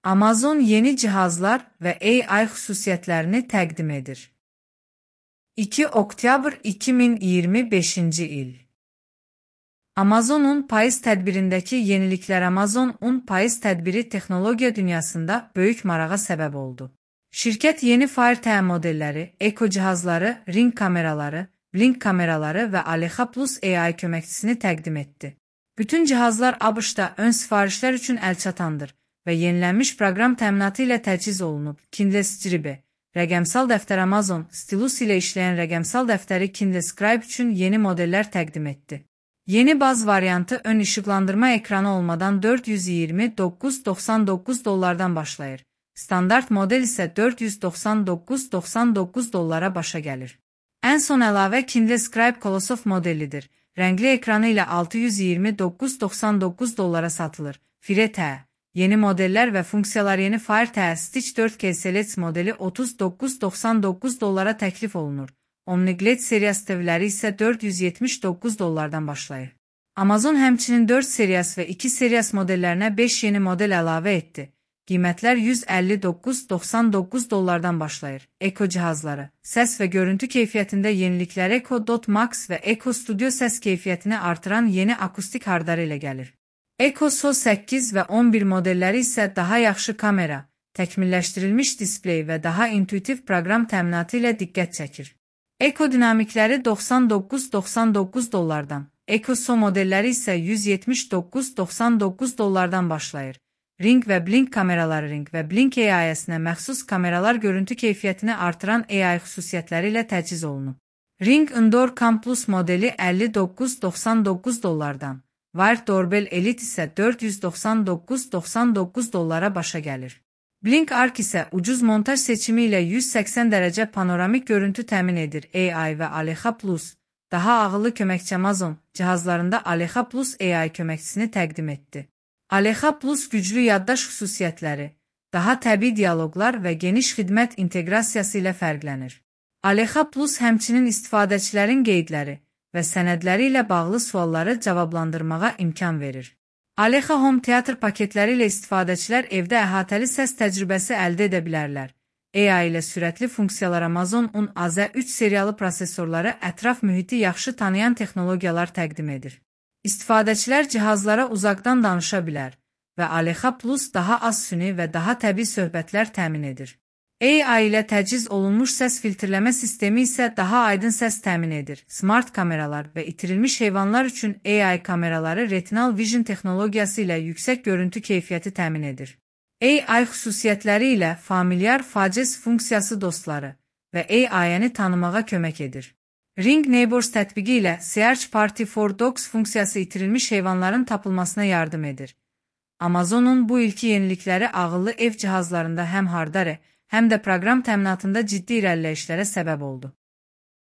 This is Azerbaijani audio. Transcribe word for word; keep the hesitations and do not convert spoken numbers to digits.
Amazon yeni cihazlar və A I xüsusiyyətlərini təqdim edir. iki oktyabr iki min iyirmi beşinci il. Amazon'un payız tədbirindəki yeniliklər Amazon'un payız tədbiri texnologiya dünyasında böyük marağa səbəb oldu. Şirkət yeni Fire T modelləri, Echo cihazları, Ring kameraları, Blink kameraları və Alexa Plus A I köməkçisini təqdim etdi. Bütün cihazlar ABŞ-da ön sifarişlər üçün əlçatandır və yenilənmiş proqram təminatı ilə təchiz olunub. Kindle Scribe, rəqəmsal dəftər Amazon, stilus ilə işləyən rəqəmsal dəftəri Kindle Scribe üçün yeni modellər təqdim etdi. Yeni baz variantı ön işıqlandırma ekranı olmadan dörd yüz iyirmi doqquz doxsan doqquz dollardan başlayır. Standart model isə dörd yüz doxsan doqquz doxsan doqquz dollara başa gəlir. Ən son əlavə Kindle Scribe Colossal modelidir. Rəngli ekranı ilə altı yüz iyirmi doqquz doxsan doqquz dollara satılır. Fire T. Yeni modellər və funksiyalar yeni Fire T Stitch dörd K Select modeli otuz doqquz doxsan doqquz dollara təklif olunur. OmniGlade seriyası T V'ləri isə dörd yüz yetmiş doqquz dollardan başlayır. Amazon həmçinin dörd seriyası və iki seriyası modellərinə beş yeni model əlavə etdi. Qiymətlər yüz əlli doqquz doxsan doqquz dollardan başlayır. Echo cihazları. Səs və görüntü keyfiyyətində yeniliklər Echo Dot Max və Echo Studio səs keyfiyyətini artıran yeni akustik hardları ilə gəlir. Echo S O səkkiz və on bir modelləri isə daha yaxşı kamera, təkmilləşdirilmiş displey və daha intuitiv proqram təminatı ilə diqqət çəkir. Echo dinamikləri doxsan doqquz doxsan doqquz dollardan, Echo S O modelləri isə yüz yetmiş doqquz doxsan doqquz dollardan başlayır. Ring və Blink kameraları Ring və Blink A I-sinə məxsus kameralar görüntü keyfiyyətini artıran A I xüsusiyyətləri ilə təchiz olunub. Ring Indoor Cam Plus modeli əlli doqquz doxsan doqquz dollardan, Wired Doorbell Elite isə dörd yüz doxsan doqquz doxsan doqquz dollara başa gəlir. Blink Arc isə ucuz montaj seçimi ilə yüz səksən dərəcə panoramik görüntü təmin edir. A I və Alexa Plus, daha ağıllı köməkçi Amazon cihazlarında Alexa Plus A I köməkçisini təqdim etdi. Alexa Plus güclü yaddaş xüsusiyyətləri, daha təbii dialoqlar və geniş xidmət inteqrasiyası ilə fərqlənir. Alexa Plus həmçinin istifadəçilərin qeydləri və sənədləri ilə bağlı sualları cavablandırmağa imkan verir. Alexa Home Theater paketləri ilə istifadəçilər evdə əhatəli səs təcrübəsi əldə edə bilərlər. A I ilə sürətli funksiyalar Amazon'un A Z üç seriyalı prosesorları ətraf mühiti yaxşı tanıyan texnologiyalar təqdim edir. İstifadəçilər cihazlara uzaqdan danışa bilər və Alexa Plus daha az süni və daha təbii söhbətlər təmin edir. A I ilə təchiz olunmuş səs filtrləmə sistemi isə daha aydın səs təmin edir. Smart kameralar və itirilmiş heyvanlar üçün A I kameraları Retinal Vision texnologiyası ilə yüksək görüntü keyfiyyəti təmin edir. A I xüsusiyyətləri ilə familiar faces funksiyası dostları və A I-ni tanımağa kömək edir. Ring Neighbors tətbiqi ilə Search Party for Dogs funksiyası itirilmiş heyvanların tapılmasına yardım edir. Amazon'un bu ilki yenilikləri ağıllı ev cihazlarında həm hardware, həm də proqram təminatında ciddi irəliləyişlərə səbəb oldu.